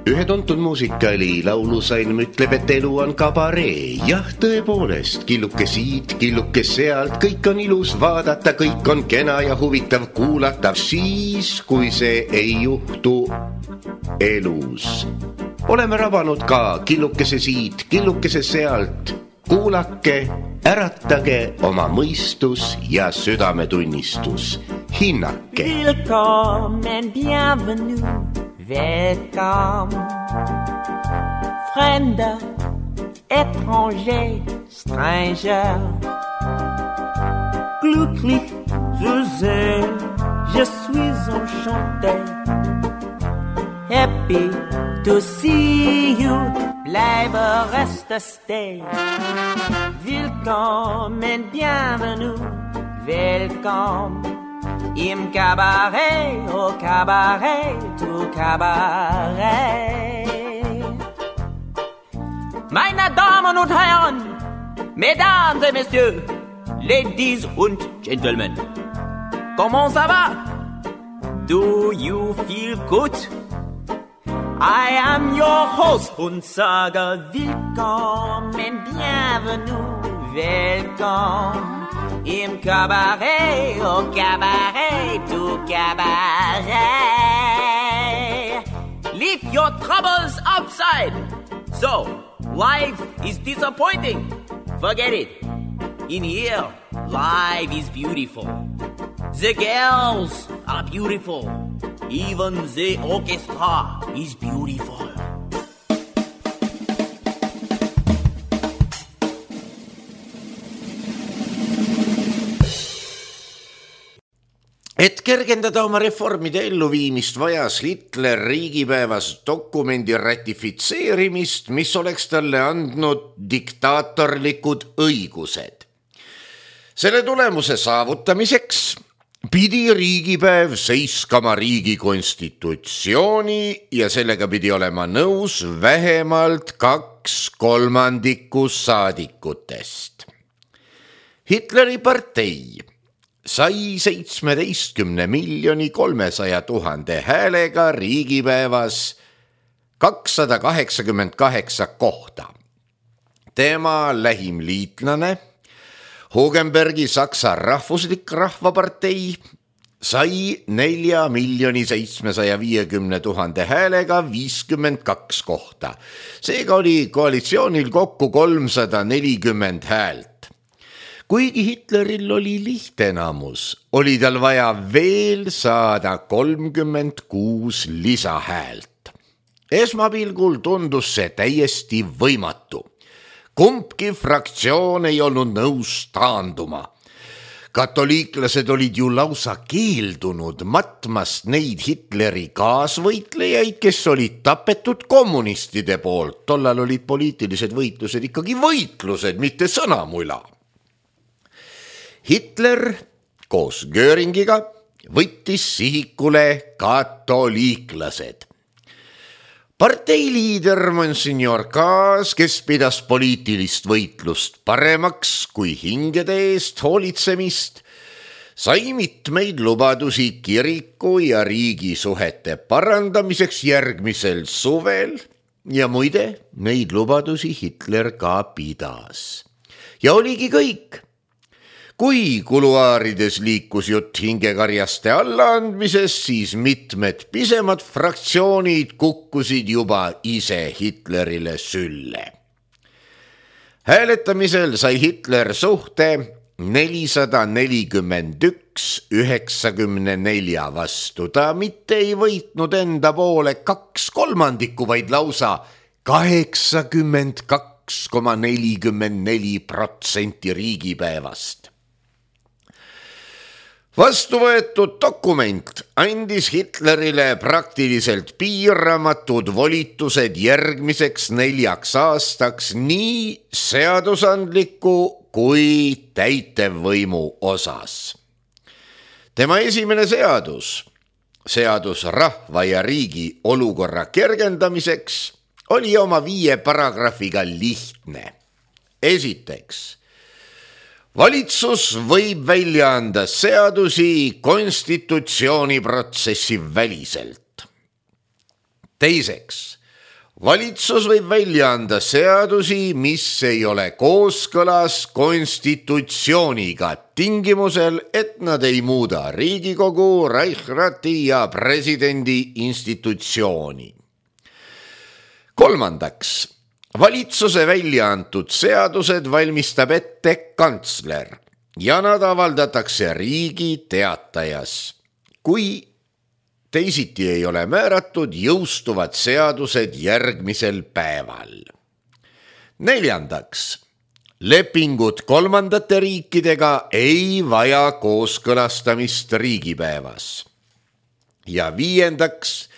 Ühe tuntud muusikali laulusalm ütleb, et elu on kabaree. Jah, tõepoolest, killuke siit, killuke sealt, kõik on ilus vaadata, kõik on kena ja huvitav kuulata, siis kui see ei juhtu elus. Oleme rabanud ka killukese siit, killukese sealt. Kuulake, äratage oma mõistus ja südametunnistus. Hinnake. Willkommen, bienvenue. Welcome, fremder, étranger, stranger. Glücklich zu sehen, je suis enchanté. Happy to see you, bleibe, reste, stay. Willkommen, bienvenue, welcome. Im Cabaret, au Cabaret, tout Cabaret. Meine Damen und Herren, Mesdames et Messieurs, Ladies und Gentlemen, comment ça va? Do you feel good? I am your host und sage willkommen, bienvenue, welcome. Im Cabaret, au Cabaret, tout Cabaret. Leave your troubles outside. So, life is disappointing. Forget it. In here, life is beautiful. The girls are beautiful. Even the orchestra is beautiful. Et kergendada oma reformide elluviimist vajas Hitler riigipäevas dokumendi ratifitseerimist, mis oleks talle andnud diktaatorlikud õigused. Selle tulemuse saavutamiseks pidi riigipäev seiskama riigi konstitutsiooni ja sellega pidi olema nõus vähemalt 2/3 saadikutest. Hitleri partei sai 17,300,000 häälega riigipäevas 288 kohta. Tema lähim liitlane, Hugenbergi Saksa rahvuslik rahvapartei, sai 4,750,000 häälega 52 kohta. Seega oli koalitsioonil kokku 340 häält. Kuigi Hitleril oli lihtenamus, oli tal vaja veel saada 36 lisahäält. Esmapilgul tundus see täiesti võimatu. Kumbki fraktsioon ei olnud nõus taanduma. Katoliiklased olid ju lausa keeldunud matmast neid Hitleri kaasvõitlejaid, kes olid tapetud kommunistide poolt. Tollal olid poliitilised võitlused ikkagi võitlused, mitte sõnamula. Hitler koos Göringiga võttis sihikule katoliiklased. Parteiliider Monsignor Kaas, kes pidas poliitilist võitlust paremaks kui hingede eest hoolitsemist, sai mitmeid lubadusi kiriku ja riigi suhete parandamiseks järgmisel suvel ja muide, neid lubadusi Hitler ka pidas. Ja oligi kõik. Kui kuluaarides liikus jutt hingekarjaste allaandmisest, siis mitmed pisemad fraktsioonid kukkusid juba ise Hitlerile sülle. Hääletamisel sai Hitler suhte 441-94 vastu. Ta mitte ei võitnud enda poole 2/3, vaid lausa 82,44% riigipäevast. Vastuvõetud dokument andis Hitlerile praktiliselt piiramatud volitused järgmiseks 4 aastaks nii seadusandliku kui täitevvõimu osas. Tema esimene seadus rahva ja riigi olukorra kergendamiseks oli oma 5 paragrahviga lihtne. Esiteks, valitsus võib välja anda seadusi konstitutsiooniprotsessi väliselt. Teiseks, valitsus võib välja anda seadusi, mis ei ole kooskõlas konstitutsiooniga, tingimusel, et nad ei muuda Riigikogu, Reichsrati ja presidendi institutsiooni. Kolmandaks, valitsuse välja antud seadused valmistab ette kantsler ja nad avaldatakse Riigi Teatajas. Kui teisiti ei ole määratud, jõustuvad seadused järgmisel päeval. Neljandaks, lepingud kolmandate riikidega ei vaja kooskõlastamist riigipäevas. Ja viiendaks,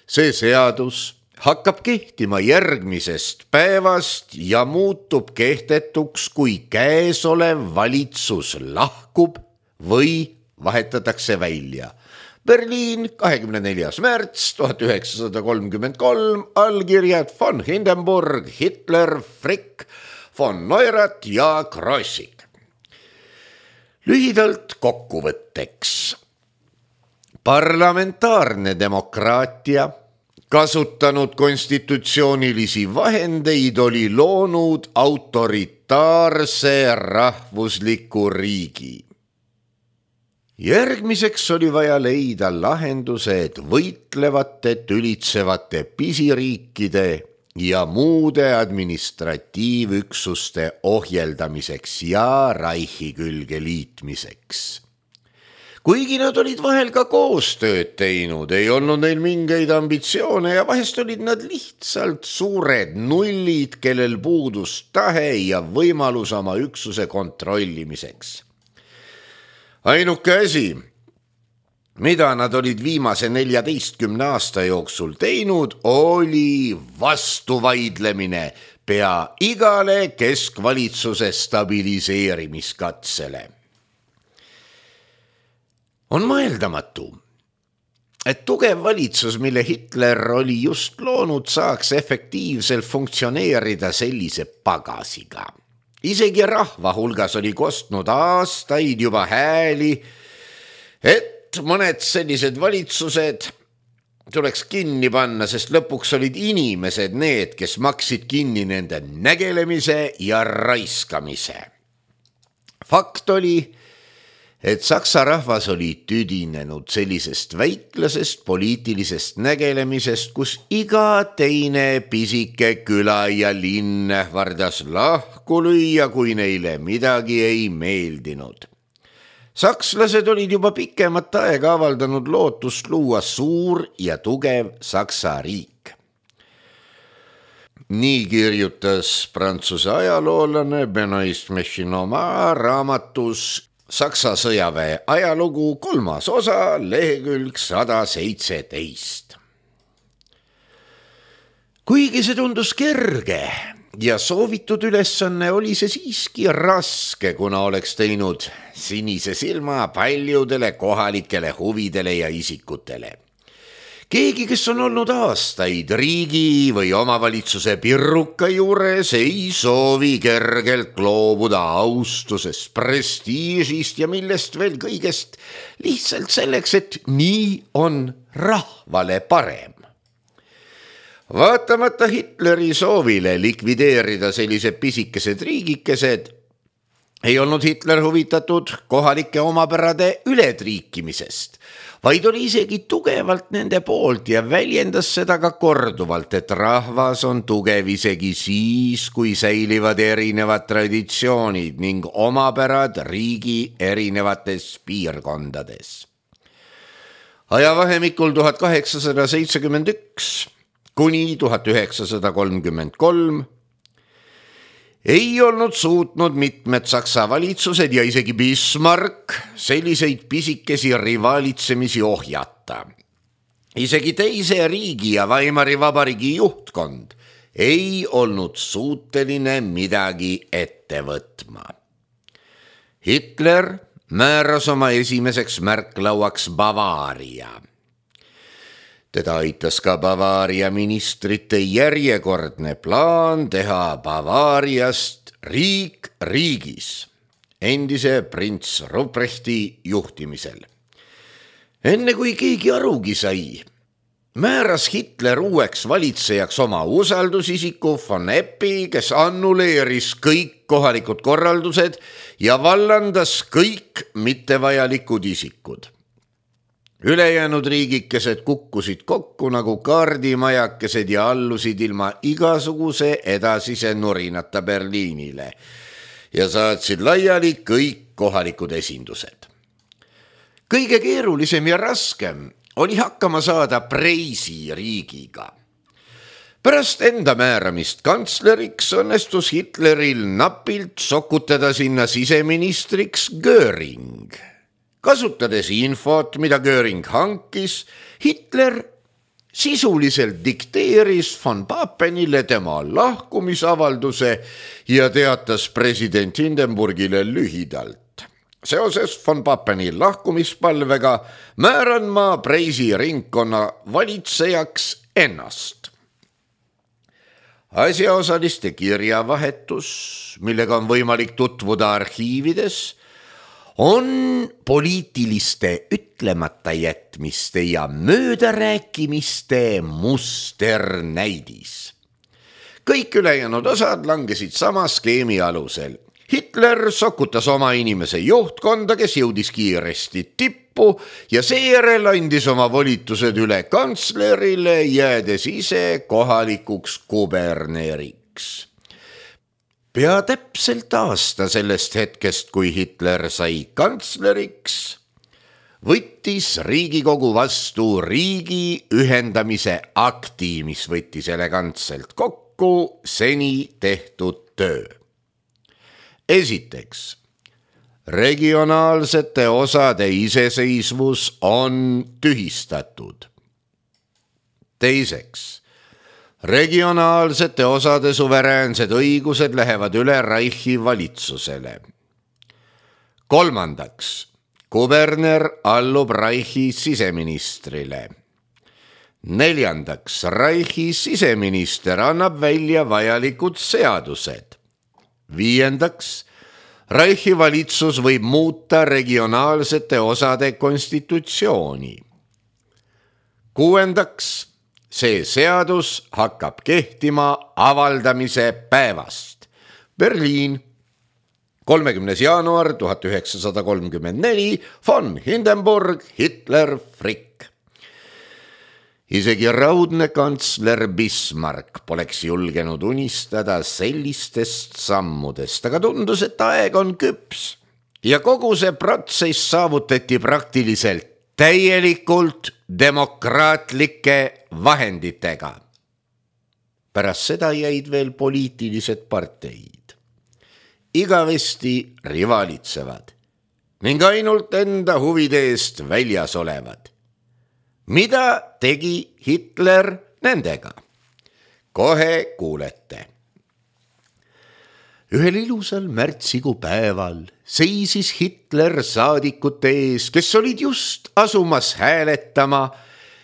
see seadus hakkab kehtima järgmisest päevast ja muutub kehtetuks, kui käesolev valitsus lahkub või vahetatakse välja. Berliin, 24. märts 1933, allkirjad von Hindenburg, Hitler, Frick, von Neurath ja Krossig. Lühidalt kokkuvõtteks. Parlamentaarne demokraatia, kasutanud konstitutsioonilisi vahendeid, oli loonud autoritaarse rahvusliku riigi. Järgmiseks oli vaja leida lahendused võitlevate, tülitsevate pisiriikide ja muude administratiivüksuste ohjeldamiseks ja Reichi külge liitmiseks. Kuigi nad olid vahel ka koostööd teinud, ei olnud neil mingeid ambitsioone ja vahest olid nad lihtsalt suured nullid, kellel puudus tahe ja võimalus oma üksuse kontrollimiseks. Ainuke asi, mida nad olid viimase 14 aasta jooksul teinud, oli vastuvaidlemine pea igale keskvalitsuse stabiliseerimiskatsele. On mõeldamatu, et tugev valitsus, mille Hitler oli just loonud, saaks efektiivselt funktsioneerida sellise pagasiga. Isegi rahva hulgas oli kostnud aastaid juba hääli, et mõned sellised valitsused tuleks kinni panna, sest lõpuks olid inimesed need, kes maksid kinni nende nägelemise ja raiskamise. Fakt oli, et Saksa rahvas oli tüdinenud sellisest väiklasest poliitilisest nägelemisest, kus iga teine pisike küla ja linn ähvardas lahku lüüa, kui neile midagi ei meeldinud. Sakslased olid juba pikemat aega avaldanud lootust luua suur ja tugev Saksa riik. Nii kirjutas Prantsuse ajaloolane Benoist Mechinoma raamatus Saksa sõjaväe ajalugu 3. osa, lehekülg 117. Kuigi see tundus kerge ja soovitud ülesanne, oli see siiski raske, kuna oleks teinud sinise silma paljudele kohalikele huvidele ja isikutele. Keegi, kes on olnud aastaid riigi või omavalitsuse pirruka juures, ei soovi kergelt loobuda austusest, prestiižist ja millest veel kõigest lihtsalt selleks, et nii on rahvale parem. Vaatamata Hitleri soovile likvideerida sellised pisikesed riigikesed, ei olnud Hitler huvitatud kohalike omapärade ületriikimisest, vaid oli isegi tugevalt nende poolt ja väljendas seda ka korduvalt, et rahvas on tugev isegi siis, kui säilivad erinevad traditsioonid ning omapärad riigi erinevates piirkondades. Ajavahemikul 1871 kuni 1933 ei olnud suutnud mitmed Saksa valitsused ja isegi Bismarck selliseid pisikesi rivaalitsemisi ohjata. Isegi teise riigi ja Weimari vabariigi juhtkond ei olnud suuteline midagi ette võtma. Hitler määras oma esimeseks märklauaks Bavaaria. Teda aitas ka Bavaaria ministrite järjekordne plaan teha Bavaariast riik riigis, endise prints Ruprechti juhtimisel. Enne kui keegi arugi sai, määras Hitler uueks valitsejaks oma usaldusisiku von Eppi, kes annuleeris kõik kohalikud korraldused ja vallandas kõik mittevajalikud isikud. Ülejäänud riigikesed kukkusid kokku nagu kaardimajakesed ja allusid ilma igasuguse edasise nurinata Berliinile ja saatsid laiali kõik kohalikud esindused. Kõige keerulisem ja raskem oli hakkama saada Preisi riigiga. Pärast enda määramist kantsleriks õnnestus Hitleril napilt sokutada sinna siseministriks Göring. Kasutades infot, mida Göring hankis, Hitler sisuliselt dikteeris von Papenile tema lahkumisavalduse ja teatas president Hindenburgile lühidalt. Seoses von Papeni lahkumispalvega määran ma Preisi ringkonna valitsejaks ennast. Asjaosaliste kirjavahetus, millega on võimalik tutvuda arhiivides, on poliitiliste ütlemata jätmiste ja möödarääkimiste musternäidis. Kõik ülejäänud osad langesid sama skeemi alusel. Hitler sokutas oma inimese juhtkonda, kes jõudis kiiresti tippu ja seejärel andis oma volitused üle kantslerile, jäädes ise kohalikuks kuberneriks. Pea täpselt aasta sellest hetkest, kui Hitler sai kantsleriks, võttis Riigikogu vastu riigi ühendamise akti, mis võttis elegantselt kokku seni tehtud töö. Esiteks, regionaalsete osade iseseisvus on tühistatud. Teiseks, regionaalsete osade suveräänsed õigused lähevad üle Reichi valitsusele. Kolmandaks, kuberner allub Reichi siseministrile. Neljandaks, Reichi siseminister annab välja vajalikud seadused. Viiendaks, Reichi valitsus võib muuta regionaalsete osade konstitutsiooni. Kuuendaks, see seadus hakkab kehtima avaldamise päevast. Berliin, 30. jaanuar 1934, von Hindenburg, Hitler, Frick. Isegi raudne kantsler Bismarck poleks julgenud unistada sellistest sammudest, aga tundus, et aeg on küps ja kogu see protsess saavutati praktiliselt täielikult demokraatlike vahenditega. Pärast seda jäid veel poliitilised parteid. Igavesti rivalitsevad ning ainult enda huvide eest väljas olevad. Mida tegi Hitler nendega? Kohe kuulete. Ühel ilusal märtsikuu päeval seisis Hitler saadikute ees, kes olid just asumas hääletama,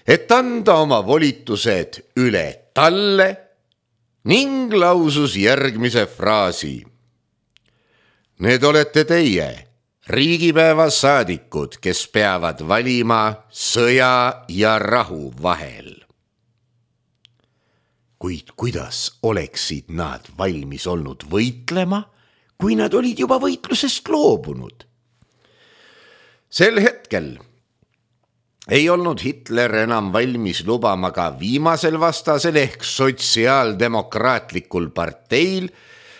et anda oma volitused üle talle ning lausus järgmise fraasi. Need olete teie, riigipäeva saadikud, kes peavad valima sõja ja rahu vahel. Kuid kuidas oleksid nad valmis olnud võitlema, kui nad olid juba võitlusest loobunud? Sel hetkel ei olnud Hitler enam valmis lubama ka viimasel vastasel ehk sotsiaaldemokraatlikul parteil,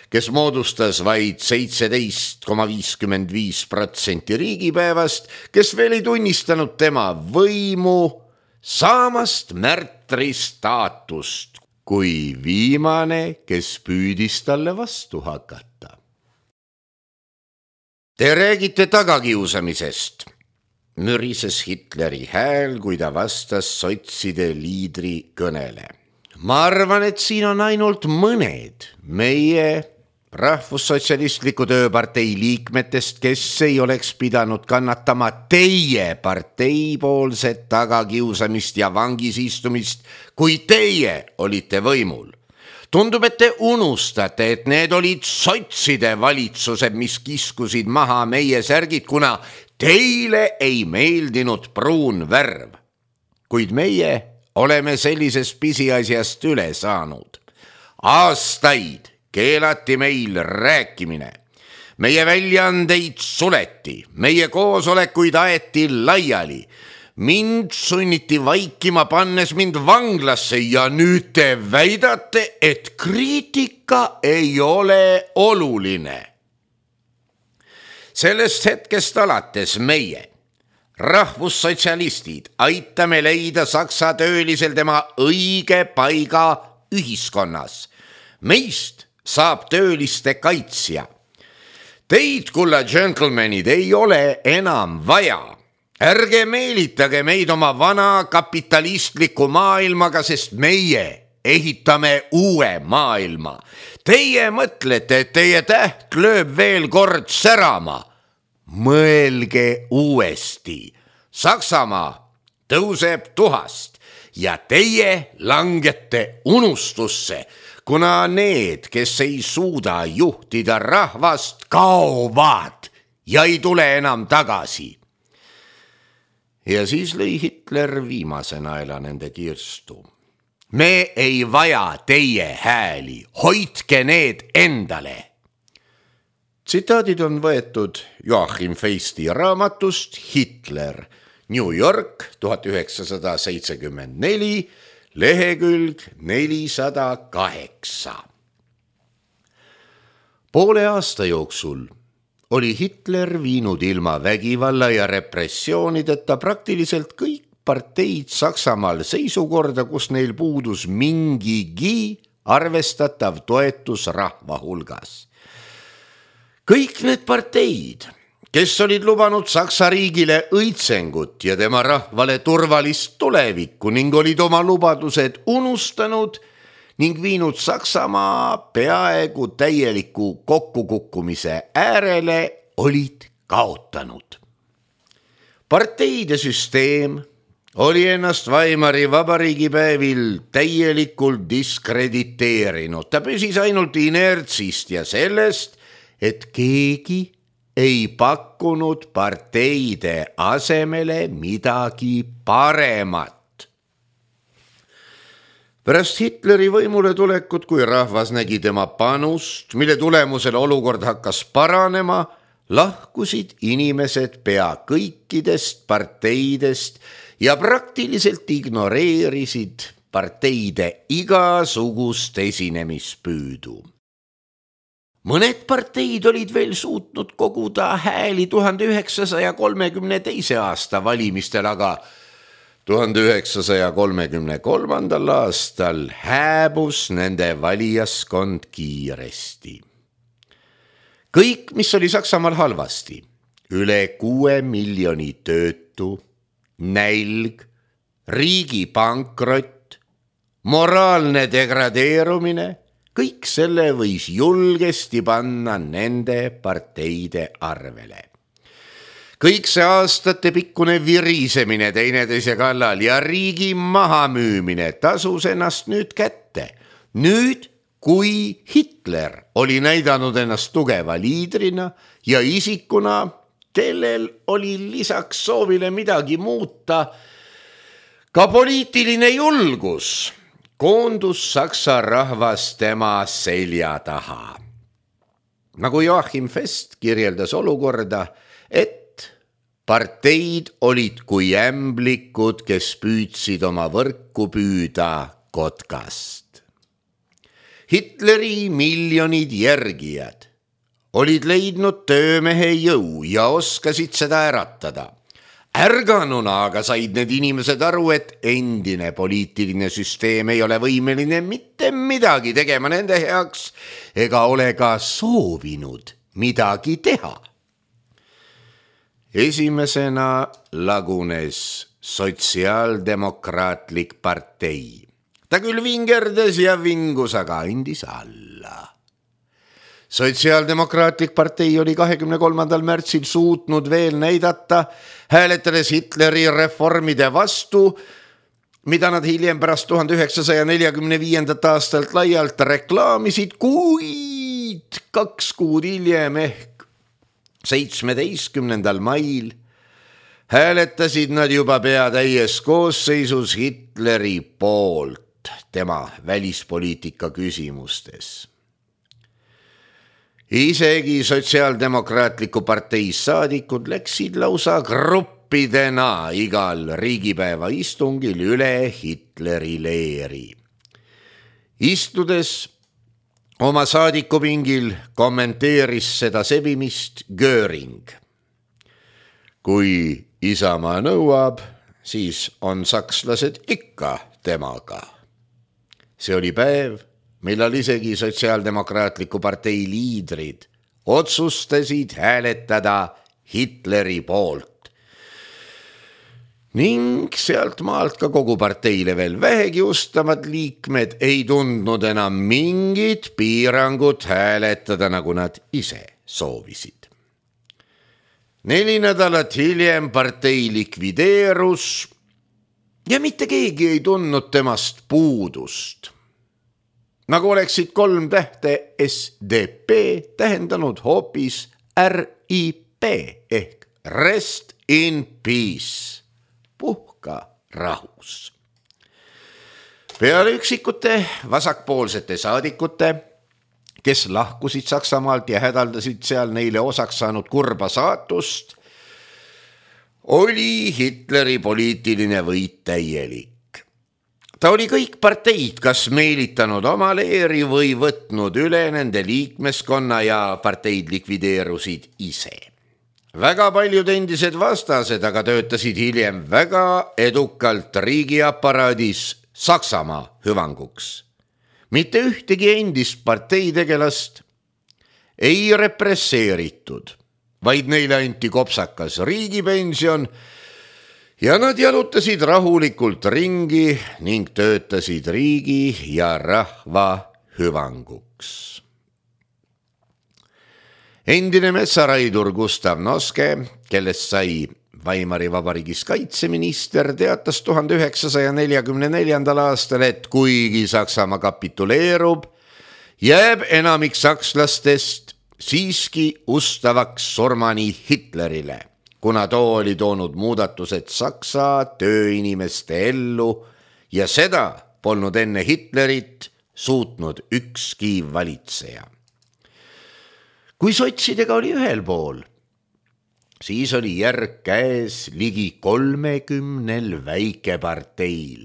kes moodustas vaid 17,55% riigipäevast, kes veel ei tunnistanud tema võimu, saamast märtri staatust, kui viimane, kes püüdis talle vastu hakata. Te räägite tagakiusamisest, mürises Hitleri hääl, kui ta vastas sotside liidri kõnele. Ma arvan, et siin on ainult mõned meie rahvussotsialistliku tööpartei liikmetest, kes ei oleks pidanud kannatama teie parteipoolset tagakiusamist ja vangis istumist, kui teie olite võimul. Tundub, et te unustate, et need olid sotside valitsused, mis kiskusid maha meie särgid, kuna teile ei meeldinud pruun värv. Kuid meie oleme sellisest pisiasjast üle saanud. Aastaid keelati meil rääkimine. Meie väljaandeid suleti, meie koosolekuid aeti laiali. Mind sunniti vaikima, pannes mind vanglasse ja nüüd te väidate, et kriitika ei ole oluline. Sellest hetkest alates meie, rahvussotsialistid, aitame leida saksa töölisel tema õige paiga ühiskonnas. Meist saab tööliste kaitsja. Teid, kulla gentlemanid, ei ole enam vaja. Ärge meelitage meid oma vana kapitalistliku maailmaga, sest meie ehitame uue maailma. Teie mõtlete, et teie täht lööb veel kord särama. Mõelge uuesti. Saksamaa tõuseb tuhast ja teie langete unustusse, kuna need, kes ei suuda juhtida rahvast, kaovad ja ei tule enam tagasi. Ja siis lõi Hitler viimase naela nende kirstu. Me ei vaja teie hääli, hoidke need endale. Tsitaadid on võetud Joachim Feisti raamatust Hitler, New York 1974, lehekülg 408. Poole aasta jooksul oli Hitler viinud ilma vägivalla ja repressioonideta praktiliselt kõik parteid Saksamaal seisukorda, kus neil puudus mingigi arvestatav toetus rahva hulgas. Kõik need parteid, kes olid lubanud Saksa riigile õitsengut ja tema rahvale turvalist tulevikku ning olid oma lubadused unustanud ning viinud Saksamaa peaaegu täieliku kokkukukkumise äärele, olid kaotanud. Parteide süsteem oli ennast Weimari vabariigi päevil täielikult diskrediteerinud. Ta püsis ainult inertsist ja sellest, et keegi ei pakkunud parteide asemele midagi paremat. Pärast Hitleri võimule tulekut, kui rahvas nägi tema panust, mille tulemusel olukord hakkas paranema, lahkusid inimesed pea kõikidest parteidest ja praktiliselt ignoreerisid parteide igasugust esinemispüüdu. Mõned parteid olid veel suutnud koguda hääli 1932. aasta valimistel, aga 1933. aastal hääbus nende valijaskond kiiresti. Kõik, mis oli Saksamaal halvasti, üle 6 miljoni töötu, nälg, riigi pankrott, moraalne degradeerumine, kõik selle võis julgesti panna nende parteide arvele. Kõik see aastate pikkune virisemine teineteise kallal ja riigi mahamüümine tasus ennast nüüd kätte. Nüüd, kui Hitler oli näidanud ennast tugeva liidrina ja isikuna, kellel oli lisaks soovile midagi muuta, ka poliitiline julgus, koondus Saksa rahvas tema selja taha. Nagu Joachim Fest kirjeldas olukorda, et parteid olid kui ämblikud, kes püüdsid oma võrku püüda kotkast. Hitleri miljonid järgijad olid leidnud töömehe jõu ja oskasid seda äratada. Ärganuna aga said need inimesed aru, et endine poliitiline süsteem ei ole võimeline mitte midagi tegema nende heaks ega ole ka soovinud midagi teha. Esimesena lagunes sotsiaaldemokraatlik partei. Ta küll vingerdas ja vingus, aga andis alla. Sotsiaaldemokraatlik partei oli 23. märtsil suutnud veel näidata, hääletades Hitleri reformide vastu, mida nad hiljem pärast 1945. aastalt laialt reklaamisid, kuid 2 kuud hiljem ehk 17. mail hääletasid nad juba pea täies koosseisus Hitleri poolt tema välispoliitika küsimustes. Isegi Sotsiaaldemokraatliku partei saadikud läksid lausa gruppidena igal riigipäeva istungil üle Hitleri leeri. Istudes oma saadikupingil kommenteeris seda sebimist Göring. Kui Isamaa nõuab, siis on sakslased ikka temaga. See oli päev, millal isegi Sotsiaaldemokraatliku partei liidrid otsustasid hääletada Hitleri poolt. Ning sealt maalt ka kogu parteile veel vähegi ustamad liikmed ei tundnud enam mingit piirangut hääletada, nagu nad ise soovisid. 4 nädalat hiljem partei likvideerus ja mitte keegi ei tundnud temast puudust. Nagu oleksid 3 tähte SDP tähendanud hoopis RIP ehk Rest in Peace, puhka rahus. Peale üksikute vasakpoolsete saadikute, kes lahkusid Saksamaalt ja hädaldasid seal neile osaks saanud kurba saatust, oli Hitleri poliitiline võit täielik. Ta oli kõik parteid kas meelitanud oma leeri või võtnud üle nende liikmeskonna ja parteid likvideerusid ise. Väga paljud endised vastased aga töötasid hiljem väga edukalt riigiaparaadis Saksamaa hüvanguks. Mitte ühtegi endist parteitegelast ei represseeritud, vaid neile anti kopsakas riigipension ja nad jalutasid rahulikult ringi ning töötasid riigi ja rahva hüvanguks. Endine metsaraidur Gustav Noske, kellest sai Weimari vabariigis kaitseminister, teatas 1944. aastal, et kuigi Saksamaa kapituleerub, jääb enamik sakslastest siiski ustavaks surmani Hitlerile, kuna too oli toonud muudatused Saksa tööinimeste ellu ja seda polnud enne Hitlerit suutnud ükski valitseja. Kui sotsidega oli ühel pool, siis oli järg käes ligi 30 väikeparteil,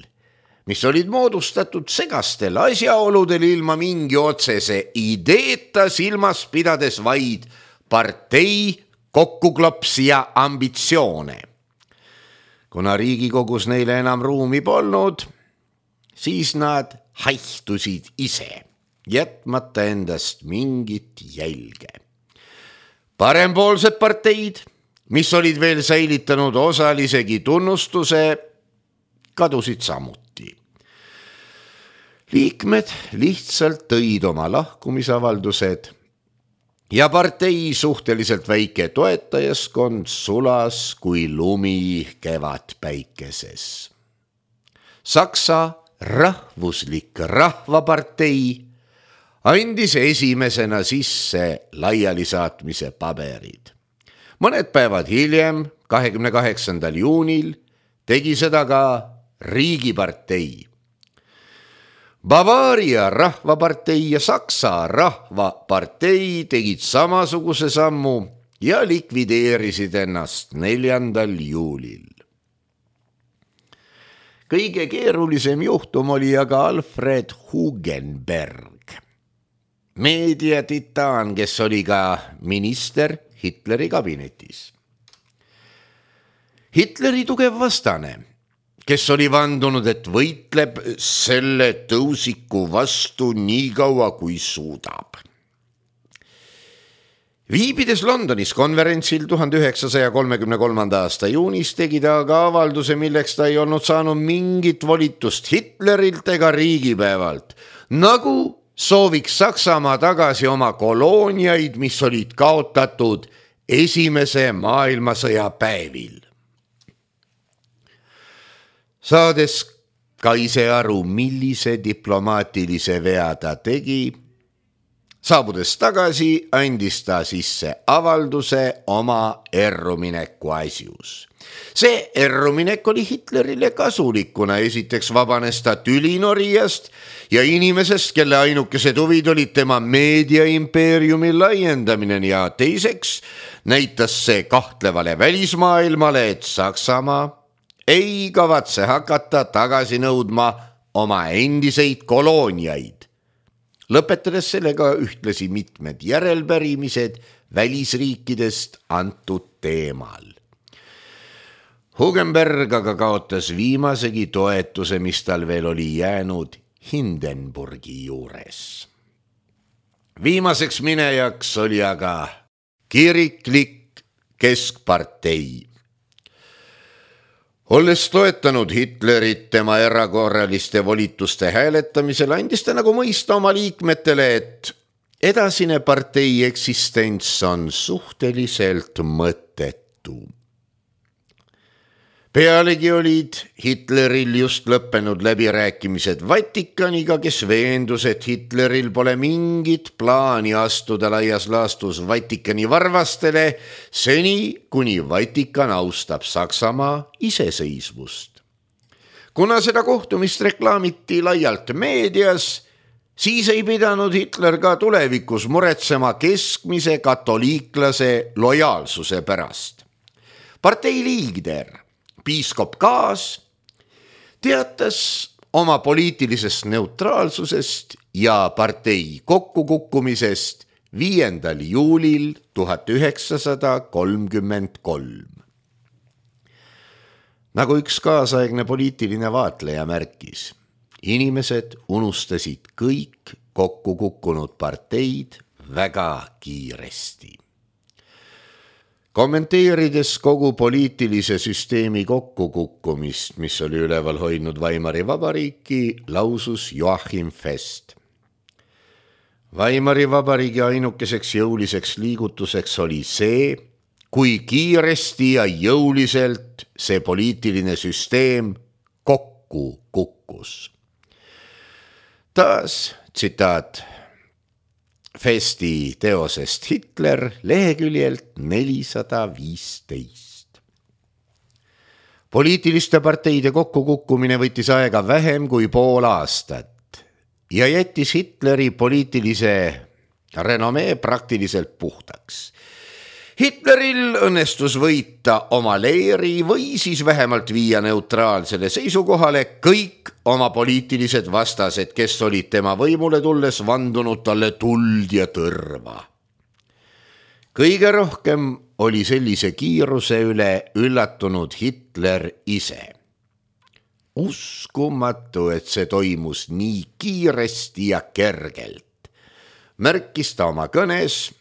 mis olid moodustatud segastel asjaoludel ilma mingi otsese ideeta, silmas pidades vaid partei kokkuklopsi ja ambitsioone. Kuna Riigikogus neile enam ruumi polnud, siis nad haihtusid ise, jätmata endast mingit jälge. Parempoolsed parteid, mis olid veel säilitanud osalisegi tunnustuse, kadusid samuti. Liikmed lihtsalt tõid oma lahkumisavaldused ja partei suhteliselt väike toetajaskond sulas kui lumi kevadpäikeses. Saksa rahvuslik rahvapartei andis esimesena sisse laialisaatmise paberid. Mõned päevad hiljem, 28. juunil, tegi seda ka Riigipartei. Bavaaria rahvapartei ja Saksa rahvapartei tegid samasuguse sammu ja likvideerisid ennast 4. juulil. Kõige keerulisem juhtum oli aga Alfred Hugenberg, meediatitaan, kes oli ka minister Hitleri kabinetis. Hitleri tugev vastane, kes oli vandunud, et võitleb selle tõusiku vastu nii kaua, kui suudab. Viibides Londonis konverentsil 1933. aasta juunis tegi ta aga avalduse, milleks ta ei olnud saanud mingit volitust Hitlerilt ega riigipäevalt, nagu sooviks Saksamaa tagasi oma kolooniaid, mis olid kaotatud Esimese maailmasõja päevil. Saades ka ise aru, millise diplomaatilise vea ta tegi, Saabudes tagasi andis ta sisse avalduse oma errumineku asjus. See erruminek oli Hitlerile kasulik, kuna esiteks vabanes ta tülinorijast ja inimesest, kelle ainukesed huvid olid tema meediaimpeeriumi laiendamine, ja teiseks näitas see kahtlevale välismaailmale, et Saksamaa ei kavatse hakata tagasi nõudma oma endiseid kolooniaid, lõpetades sellega ühtlasi mitmed järelpärimised välisriikidest antud teemal. Hugenberg aga kaotas viimasegi toetuse, mis tal veel oli jäänud Hindenburgi juures. Viimaseks minejaks oli aga kiriklik keskpartei. Olles toetanud Hitlerit tema erakorraliste volituste hääletamisel, andis ta nagu mõista oma liikmetele, et edasine partei eksistents on suhteliselt mõttetu. Pealegi olid Hitleril just lõppenud läbirääkimised Vatikaniga, kes veendus, et Hitleril pole mingit plaani astuda laias laastus Vatikani varvastele seni, kuni Vatikan austab Saksamaa iseseisvust. Kuna seda kohtumist reklaamiti laialt meedias, siis ei pidanud Hitler ka tulevikus muretsema keskmise katoliiklase lojaalsuse pärast. Partei liider piiskop Kaas teatas oma poliitilisest neutraalsusest ja partei kokkukukkumisest 5. juulil 1933. Nagu üks kaasaegne poliitiline vaatleja märkis, inimesed unustasid kõik kokkukukkunud parteid väga kiiresti. Kommenteerides kogu poliitilise süsteemi kokkukukkumist, mis oli üleval hoidnud Weimari Vabariiki, lausus Joachim Fest. Weimari Vabariigi ainukeseks jõuliseks liigutuseks oli see, kui kiiresti ja jõuliselt see poliitiline süsteem kokku kukkus. Taas tsitaat Festi teosest Hitler leheküljelt 415. Poliitiliste parteide kokkukukkumine võttis aega vähem kui pool aastat ja jättis Hitleri poliitilise renomee praktiliselt puhtaks. Hitleril õnnestus võita oma leeri või siis vähemalt viia neutraalsele seisukohale kõik oma poliitilised vastased, kes olid tema võimule tulles vandunud talle tuld ja tõrva. Kõige rohkem oli sellise kiiruse üle üllatunud Hitler ise. Uskumatu, et see toimus nii kiiresti ja kergelt, märkis ta oma kõnes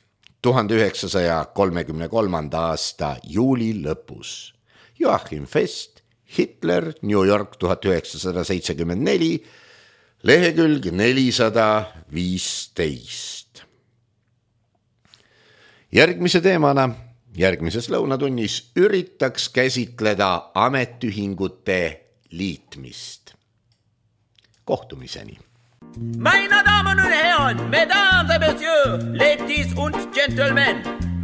1933. aasta juuli lõpus. Joachim Fest, Hitler, New York 1974, lehekülg 415. Järgmise teemana, järgmises lõunatunnis üritaks käsitleda ametiühingute liitmist. Kohtumiseni! Meine Damen und Herren, Mesdames et Messieurs, Ladies und Gentlemen,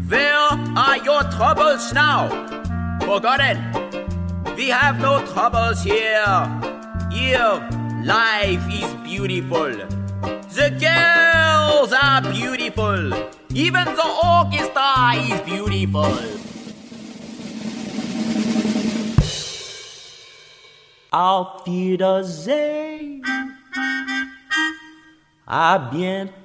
where are your troubles now? Forgotten, we have no troubles here. Here, life is beautiful. The girls are beautiful. Even the orchestra is beautiful. Auf Wiedersehen. À bientôt.